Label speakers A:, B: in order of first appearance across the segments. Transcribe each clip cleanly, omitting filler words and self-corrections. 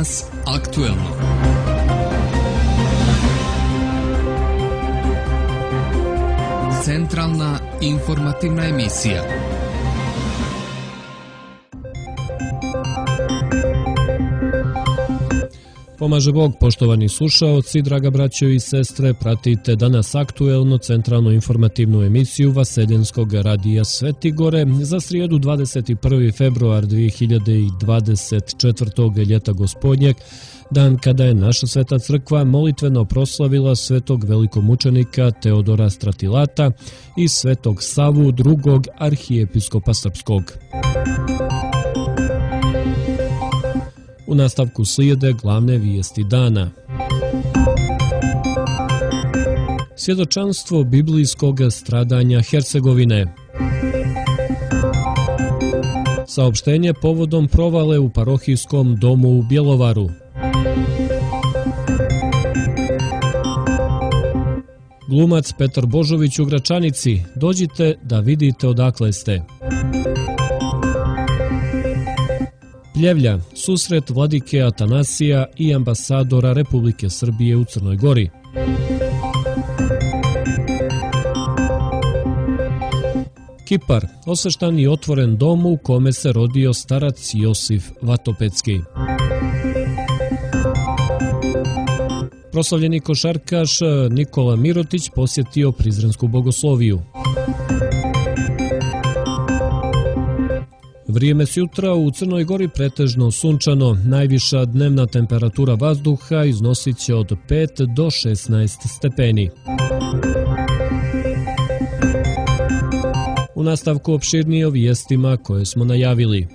A: Danas aktuelno. Centralna informativna emisija.
B: Pomaže Bog, poštovani slušaoci, draga braćo i sestre, pratite Danas aktuelno centralnu informativnu emisiju Vaseljenskog radija Sveti Gore za srijedu 21. februar 2024. ljeta gospodnjeg, dan kada je naša Sveta crkva molitveno proslavila svetog velikomučenika Teodora Stratilata i svetog Savu drugog arhijepiskopa srpskog. U nastavku slijede glavne vijesti dana. Svjedočanstvo biblijskog stradanja Hercegovine. Saopštenje povodom provale u parohijskom domu u Bjelovaru. Glumac Petar Božović u Gračanici. Dođite da vidite odakle ste. Pljevlja, susret vladike Atanasija i ambasadora Republike Srbije u Crnoj Gori. Kipar, osveštan i otvoren dom u kome se rodio starac Josif Vatopedski. Proslavljeni košarkaš Nikola Mirotić posjetio Prizrensku bogosloviju. Vrijeme sjutra u Crnoj Gori pretežno sunčano, najviša dnevna temperatura vazduha iznosit će od 5 do 16 stepeni. U nastavku opširnije o vijestima koje smo najavili.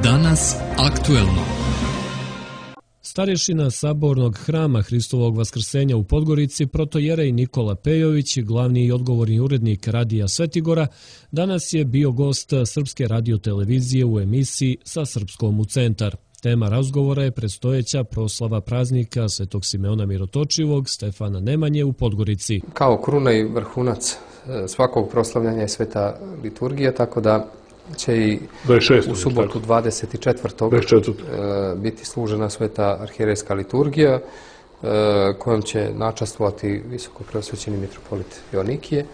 A: Danas aktuelno.
B: Starješina Sabornog hrama Hristovog vaskrsenja u Podgorici, protojerej Nikola Pejović, glavni i odgovorni urednik radija Svetigora, danas je bio gost Srpske radiotelevizije u emisiji Sa srpskom u centar. Tema razgovora je predstojeća proslava praznika Svetog Simeona Mirotočivog Stefana Nemanje u Podgorici.
C: Kao kruna i vrhunac svakog proslavljanja je sveta liturgija, tako da će i 26. u subotu 24. biti služena sveta arhijerejska liturgija kojom će načastvovati visoko preosvećeni mitropolit Joanikije.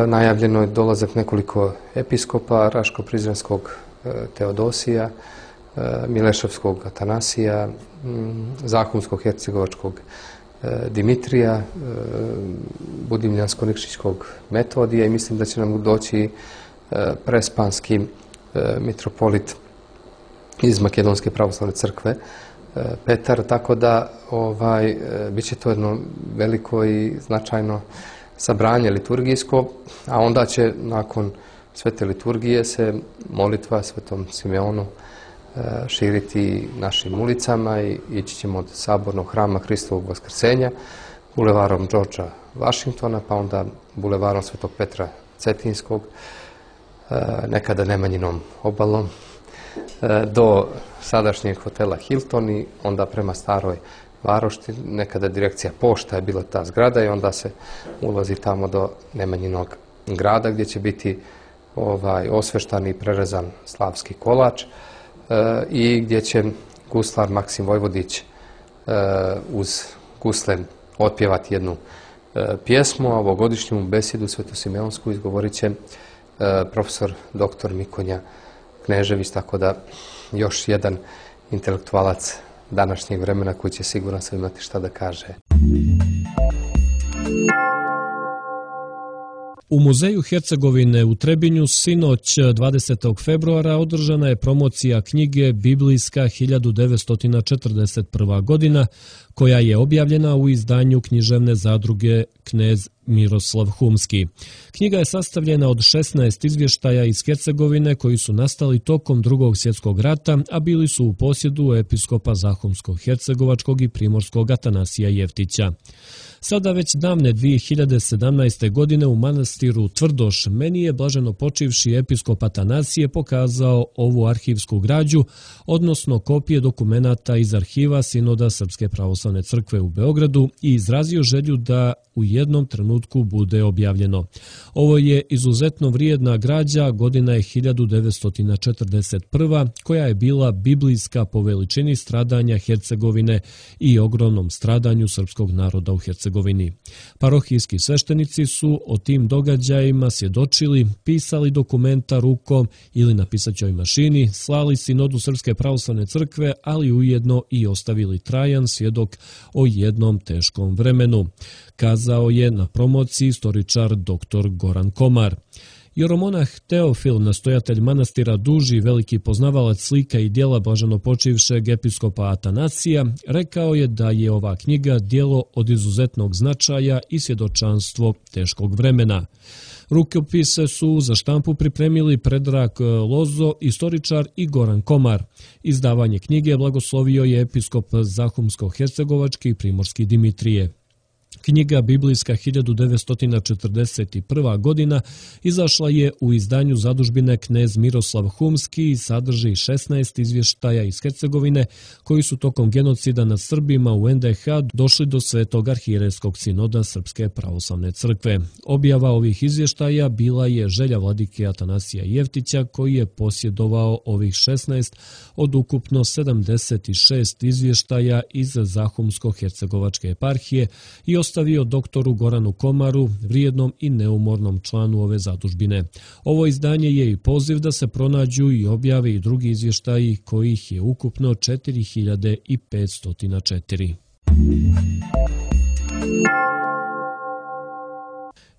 C: Najavljeno je dolazak nekoliko episkopa, Raško-Prizrenskog Teodosija, Mileševskog Atanasija, Zahumskog hercegovačkog Dimitrija, Budimljansko-Nikšićkog Metodija i mislim da će nam doći prespanski mitropolit iz Makedonske pravoslavne crkve Petar, tako da bit će to jedno veliko i značajno sabranje liturgijsko, a onda će nakon svete liturgije se molitva Svetom Simeonu širiti našim ulicama i ići ćemo od Sabornog hrama Hristovog vaskrsenja bulevarom Georgea Washingtona, pa onda bulevarom Svetog Petra Cetinskog, nekada Nemanjinom obalom, do sadašnjeg hotela Hilton i onda prema Staroj Varošti. Nekada direkcija pošta je bila ta zgrada i onda se ulazi tamo do Nemanjinog grada gdje će biti osveštan i prerezan slavski kolač i gdje će guslar Maksim Vojvodić uz gusle otpjevati jednu pjesmu, a ovogodišnju besedu svetosimeonsku izgovorit će profesor dr. Mikonja Knežević, tako da još jedan intelektualac današnjeg vremena koji će sigurno sve imati šta da kaže.
B: U Muzeju Hercegovine u Trebinju sinoć 20. februara održana je promocija knjige Biblijska 1941. godina, koja je objavljena u izdanju književne zadruge Knez Miroslav Humski. Knjiga je sastavljena od 16 izvještaja iz Hercegovine koji su nastali tokom Drugog svjetskog rata, a bili su u posjedu episkopa Zahumsko-hercegovačkog i primorskog Atanasija Jeftića. Sada već davne 2017. godine u manastiru Tvrdoš meni je blaženo počivši episkop Atanasije pokazao ovu arhivsku građu, odnosno kopije dokumenata iz arhiva Sinoda Srpske pravoslavne crkve u Beogradu i izrazio želju da u jednom trenutku bude objavljeno. Ovo je izuzetno vrijedna građa, godina je 1941. koja je bila biblijska po veličini stradanja Hercegovine i ogromnom stradanju srpskog naroda u Hercegovini. Parohijski sveštenici su o tim događajima svjedočili, pisali dokumenta rukom ili na pisaćoj mašini, slali Sinodu Srpske pravoslavne crkve, ali ujedno i ostavili trajan svjedok o jednom teškom vremenu, kazao je na promociji istoričar dr. Goran Komar. Jeromonah Teofil, nastojatelj manastira Duži, veliki poznavalac slika i djela blaženopočivšeg episkopa Atanasija, rekao je da je ova knjiga djelo od izuzetnog značaja i svjedočanstvo teškog vremena. Rukopise su za štampu pripremili Predrag Lozo, istoričar, i Goran Komar. Izdavanje knjige blagoslovio je episkop Zahumsko-hercegovački i primorski Dimitrije. Knjiga biblijska 1941. godina izašla je u izdanju zadužbine knez Miroslav Humski i sadrži 16 izvještaja iz Hercegovine koji su tokom genocida nad Srbima u NDH došli do Svetog arhijerejskog sinoda Srpske pravoslavne crkve. Objava ovih izvještaja bila je želja vladike Atanasija Jeftića koji je posjedovao ovih 16 od ukupno 76 izvještaja iz Zahumsko-hercegovačke eparhije i ostavio doktoru Goranu Komaru, vrijednom i neumornom članu ove zadužbine. Ovo izdanje je i poziv da se pronađu i objave i drugi izvještaji kojih je ukupno 4504.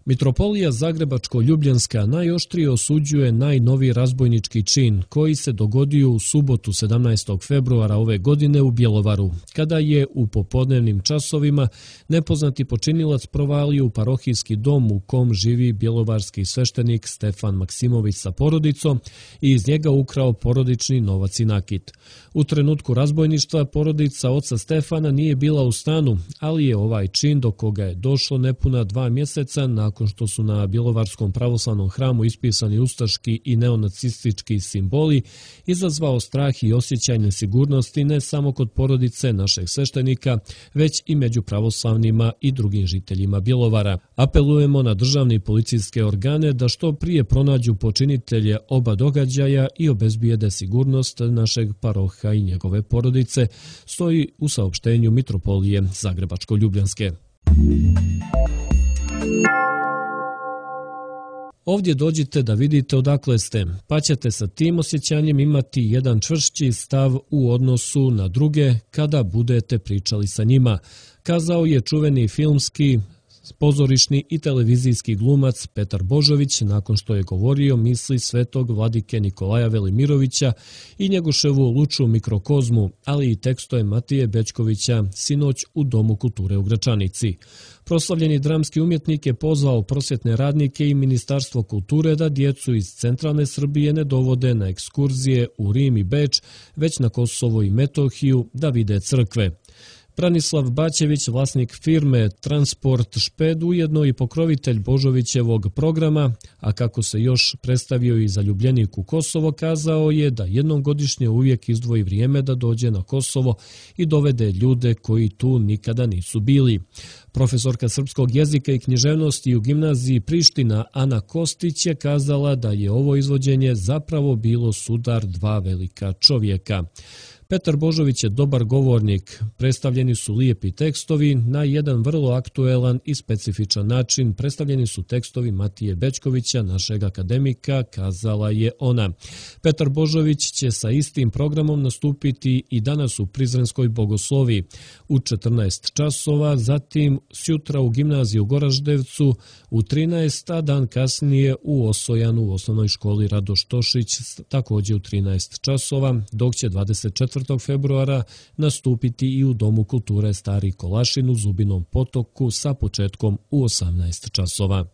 B: Mitropolija Zagrebačko-Ljubljanska najoštrije osuđuje najnoviji razbojnički čin koji se dogodio u subotu 17. februara ove godine u Bjelovaru, kada je u popodnevnim časovima nepoznati počinilac provalio u parohijski dom u kom živi bjelovarski sveštenik Stefan Maksimović sa porodicom i iz njega ukrao porodični novac i nakit. U trenutku razbojništva porodica oca Stefana nije bila u stanu, ali je ovaj čin do koga je došlo nepuna 2 mjeseca nakon što su na Bjelovarskom pravoslavnom hramu ispisani ustaški i neonacistički simboli, izazvao strah i osjećaj nesigurnosti ne samo kod porodice našeg sveštenika, već i među pravoslavnima i drugim žiteljima Bjelovara. Apelujemo na državne i policijske organe da što prije pronađu počinitelje oba događaja i obezbijede sigurnost našeg paroha i njegove porodice, stoji u saopštenju Mitropolije Zagrebačko-Ljubljanske. Ovdje dođite da vidite odakle ste, pa ćete sa tim osjećanjem imati jedan čvršći stav u odnosu na druge kada budete pričali sa njima, kazao je čuveni filmski, pozorišni i televizijski glumac Petar Božović nakon što je govorio misli svetog vladike Nikolaja Velimirovića i Njegoševu luču mikrokozmu, ali i tekstove Matije Bećkovića sinoć u Domu kulture u Gračanici. Proslavljeni dramski umjetnik je pozvao prosvjetne radnike i Ministarstvo kulture da djecu iz centralne Srbije ne dovode na ekskurzije u Rim i Beč, već na Kosovo i Metohiju da vide crkve. Branislav Bačević, vlasnik firme Transport Šped, ujedno i pokrovitelj Božovićevog programa, a kako se još predstavio i zaljubljenik u Kosovo, kazao je da jednom godišnje uvijek izdvoji vrijeme da dođe na Kosovo i dovede ljude koji tu nikada nisu bili. Profesorka srpskog jezika i književnosti u gimnaziji Priština Ana Kostić je kazala da je ovo izvođenje zapravo bilo sudar dva velika čovjeka. Petar Božović je dobar govornik, predstavljeni su lijepi tekstovi, na jedan vrlo aktuelan i specifičan način predstavljeni su tekstovi Matije Bećkovića, našeg akademika, kazala je ona. Petar Božović će sa istim programom nastupiti i danas u Prizrenskoj bogoslovi u 14 časova, zatim sjutra u gimnaziji u Goraždevcu u 13, a dan kasnije u Osojanu u osnovnoj školi Radoš Tošić također u 13 časova, dok će 24. 24. februara nastupiti i u Domu kulture Stari Kolašin u Zubinom Potoku sa početkom u 18 časova.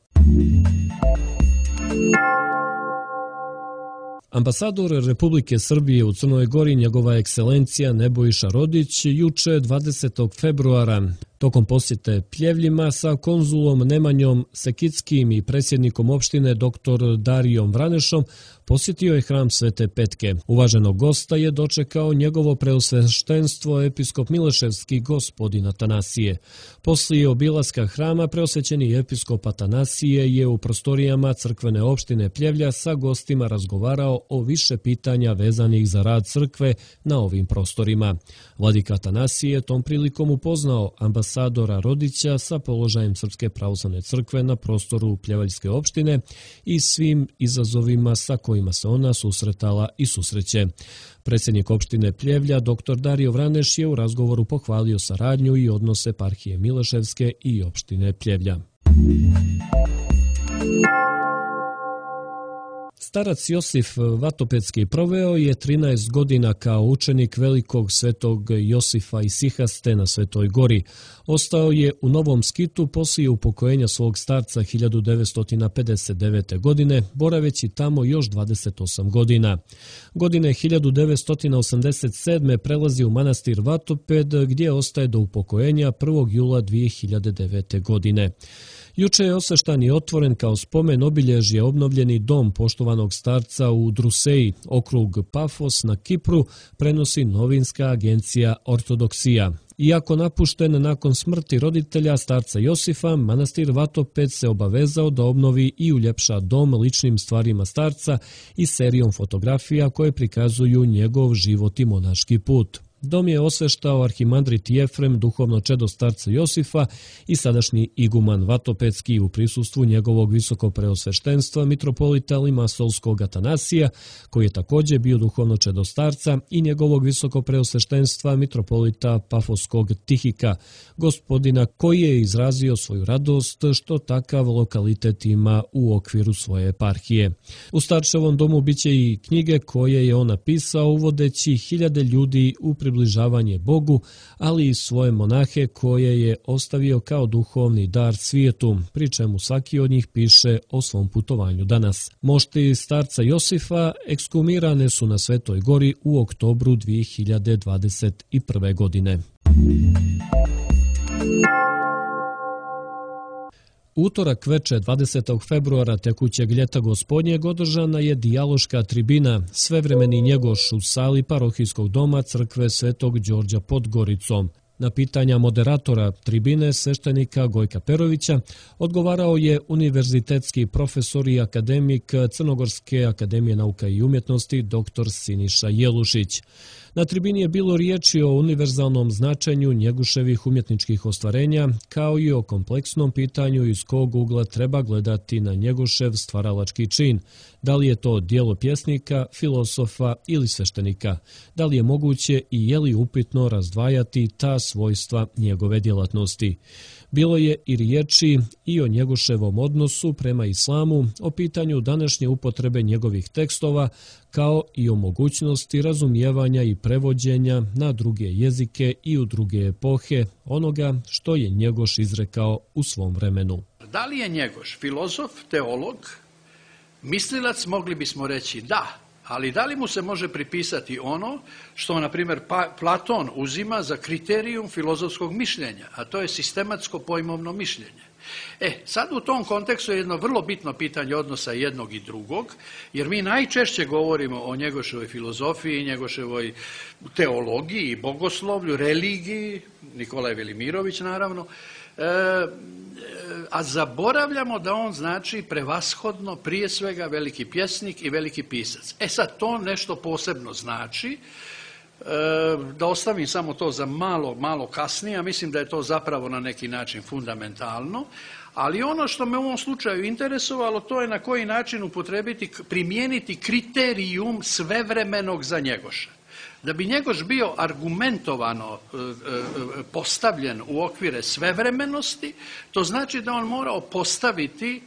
B: Ambasador Republike Srbije u Crnoj Gori, njegova ekscelencija Nebojša Rodić, juče 20. februara tokom posjete Pljevljima sa konzulom Nemanjom Sekickim i predsjednikom opštine dr. Darijom Vranešom posjetio je hram Svete Petke. Uvaženog gosta je dočekao njegovo preosveštenstvo episkop Mileševski gospodin Atanasije. Poslije obilaska hrama preosvećeni episkop Atanasije je u prostorijama crkvene opštine Pljevlja sa gostima razgovarao o više pitanja vezanih za rad crkve na ovim prostorima. Vladika Atanasije tom prilikom upoznao ambasadora Rodića sa položajem Srpske pravoslavne crkve na prostoru Pljevaljske opštine i svim izazovima sa kojima se ona susretala i susreće. Predsjednik opštine Pljevlja, dr. Dario Vraneš, je u razgovoru pohvalio saradnju i odnose eparhije Mileševske i opštine Pljevlja. Starac Josif Vatopedski proveo je 13 godina kao učenik velikog svetog Josifa Isihaste na Svetoj Gori. Ostao je u Novom Skitu poslije upokojenja svog starca 1959. godine, boraveći tamo još 28 godina. Godine 1987. prelazi u manastir Vatoped, gdje ostaje do upokojenja 1. jula 2009. godine. Juče je osveštan i otvoren kao spomen obilježje obnovljeni dom poštovanog starca u Druseji, okrug Pafos na Kipru, prenosi novinska agencija Ortodoksija. Iako napušten nakon smrti roditelja starca Josifa, manastir Vatoped se obavezao da obnovi i uljepša dom ličnim stvarima starca i serijom fotografija koje prikazuju njegov život i monaški put. Dom je osveštao arhimandrit Jefrem, duhovno čedo starca Josifa i sadašnji iguman Vatopedski u prisustvu njegovog visokopreosveštenstva mitropolita Limasolskog Atanasija, koji je također bio duhovno čedo starca, i njegovog visokopreosveštenstva mitropolita Pafoskog Tihika, gospodina koji je izrazio svoju radost što takav lokalitet ima u okviru svoje eparhije. U starčevom domu biće i knjige koje je on napisao uvodeći hiljade ljudi u približavanje Bogu, ali i svoje monahe koje je ostavio kao duhovni dar svijetu, pri čemu svaki od njih piše o svom putovanju danas. Mošti starca Josifa ekskumirane su na Svetoj Gori u oktobru 2021. godine. Utorak veče 20. februara tekućeg ljeta gospodnjeg održana je dijaloška tribina Svevremeni njegoš u sali parohijskog doma crkve Svetog Đorđa pod Goricom. Na pitanja moderatora tribine sveštenika Gojka Perovića odgovarao je univerzitetski profesor i akademik Crnogorske akademije nauka i umjetnosti dr. Siniša Jelušić. Na tribini je bilo riječi o univerzalnom značenju Njeguševih umjetničkih ostvarenja, kao i o kompleksnom pitanju iz kog ugla treba gledati na Njegušev stvaralački čin. Da li je to djelo pjesnika, filosofa ili sveštenika? Da li je moguće i je li upitno razdvajati ta svojstva njegove djelatnosti? Bilo je i riječi i o Njeguševom odnosu prema islamu, o pitanju današnje upotrebe njegovih tekstova, kao i o mogućnosti razumijevanja i prevođenja na druge jezike i u druge epohe onoga što je Njegoš izrekao u svom vremenu.
D: Da li je Njegoš filozof, teolog, mislilac, mogli bismo reći da, ali da li mu se može pripisati ono što, na primjer, Platon uzima za kriterijum filozofskog mišljenja, a to je sistematsko pojmovno mišljenje. Sad u tom kontekstu je jedno vrlo bitno pitanje odnosa jednog i drugog, jer mi najčešće govorimo o Njegoševoj filozofiji, Njegoševoj teologiji, bogoslovlju, religiji, Nikolaj Velimirović naravno, a zaboravljamo da on znači prevashodno prije svega veliki pjesnik i veliki pisac. Sad to nešto posebno znači, da ostavim samo to za malo kasnije, a mislim da je to zapravo na neki način fundamentalno, ali ono što me u ovom slučaju interesovalo, to je na koji način primijeniti kriterijum svevremenog za Njegoša. Da bi Njegoš bio argumentovano postavljen u okvire svevremenosti, to znači da on morao postaviti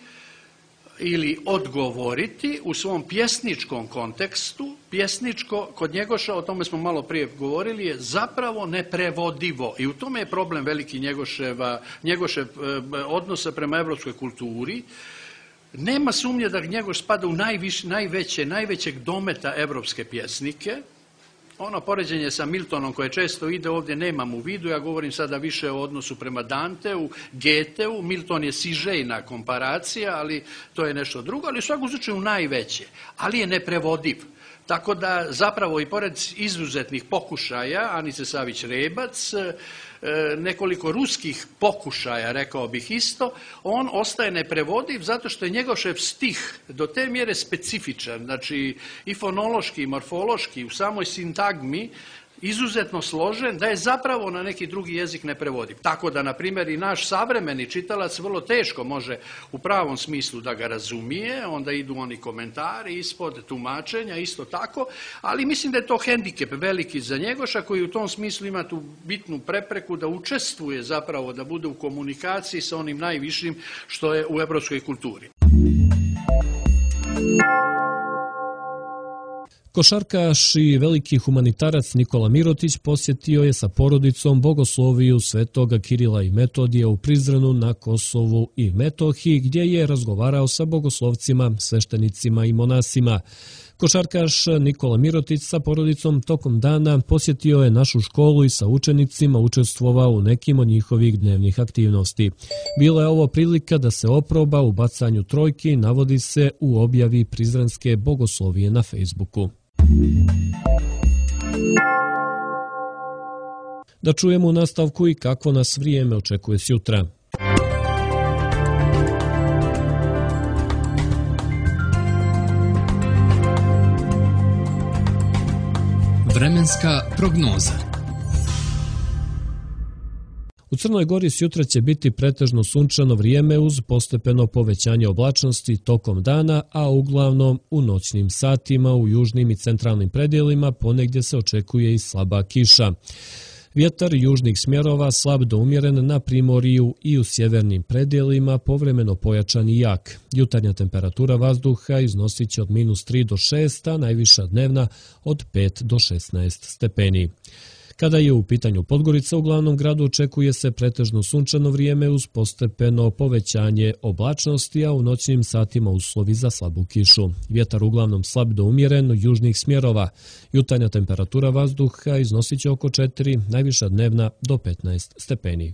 D: ili odgovoriti u svom pjesničkom kontekstu. Pjesničko kod Njegoša, o tome smo malo prije govorili, je zapravo neprevodivo i u tome je problem veliki Njegošev odnosa prema evropskoj kulturi. Nema sumnje da Njegoš spada u najvećeg dometa evropske pjesnike. Ono poređenje sa Miltonom koje često ide ovdje nemam u vidu, ja govorim sada više o odnosu prema Danteu, Goetheu, Milton je sižejna komparacija, ali to je nešto drugo, ali u svakom slučaju najveće, ali je neprevodiv. Tako da zapravo i pored izuzetnih pokušaja, Anice Savić-Rebac, nekoliko ruskih pokušaja, rekao bih isto, on ostaje neprevodiv zato što je Njegošev stih do te mjere specifičan, znači i fonološki i morfološki, u samoj sintagmi, izuzetno složen, da je zapravo na neki drugi jezik neprevodiv. Tako da, na primjer, i naš savremeni čitalac vrlo teško može u pravom smislu da ga razumije, onda idu oni komentari ispod tumačenja, isto tako, ali mislim da je to hendikep veliki za Njegoša, koji u tom smislu ima tu bitnu prepreku da učestvuje zapravo, da bude u komunikaciji sa onim najvišim što je u evropskoj kulturi.
B: Košarkaš i veliki humanitarac Nikola Mirotić posjetio je sa porodicom bogosloviju Svetoga Kirila i Metodija u Prizrenu na Kosovu i Metohiji, gdje je razgovarao sa bogoslovcima, sveštenicima i monasima. Košarkaš Nikola Mirotić sa porodicom tokom dana posjetio je našu školu i sa učenicima učestvovao u nekim od njihovih dnevnih aktivnosti. Bila je ovo prilika da se oproba u bacanju trojki, navodi se u objavi Prizrenske bogoslovije na Facebooku. Da čujemo u nastavku i kakvo nas vrijeme očekuje sjutra.
A: Vremenska prognoza.
B: U Crnoj Gori sjutra će biti pretežno sunčano vrijeme uz postepeno povećanje oblačnosti tokom dana, a uglavnom u noćnim satima u južnim i centralnim predjelima ponegdje se očekuje i slaba kiša. Vjetar južnih smjerova slab do umjeren na primorju i u sjevernim predjelima, povremeno pojačan i jak. Jutarnja temperatura vazduha iznosit će od -3 do 6, a najviša dnevna od 5 do 16 stepeni. Kada je u pitanju Podgorica, u glavnom gradu očekuje se pretežno sunčano vrijeme uz postepeno povećanje oblačnosti, a u noćnim satima uslovi za slabu kišu. Vjetar uglavnom slab do umjeren južnih smjerova. Jutarnja temperatura vazduha iznosit će oko 4, najviša dnevna do 15 stepeni.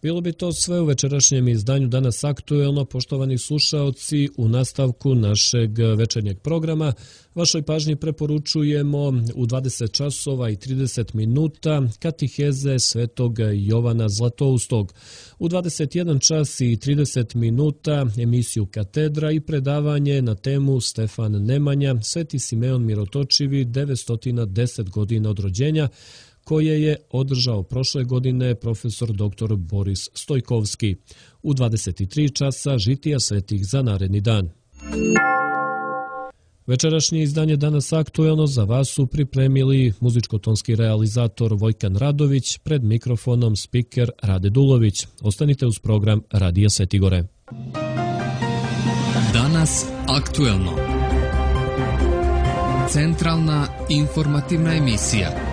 B: Bilo bi to sve u večerašnjem izdanju Danas aktuelno, poštovani slušaoci. U nastavku našeg večernjeg programa vašoj pažnji preporučujemo u 20 časova i 30 minuta katiheze Svetog Jovana Zlatoustog. U 21 čas i 30 minuta emisiju Katedra i predavanje na temu Stefan Nemanja, Sveti Simeon Mirotočivi, 910 godina od rođenja, koje je održao prošle godine profesor dr. Boris Stojkovski. U 23 časa žitija svetih za naredni dan. Večerašnje izdanje Danas aktuelno za vas su pripremili muzičko-tonski realizator Vojkan Radović, pred mikrofonom spiker Rade Dulović. Ostanite uz program Radija Svetigore.
A: Danas aktuelno. Centralna informativna emisija.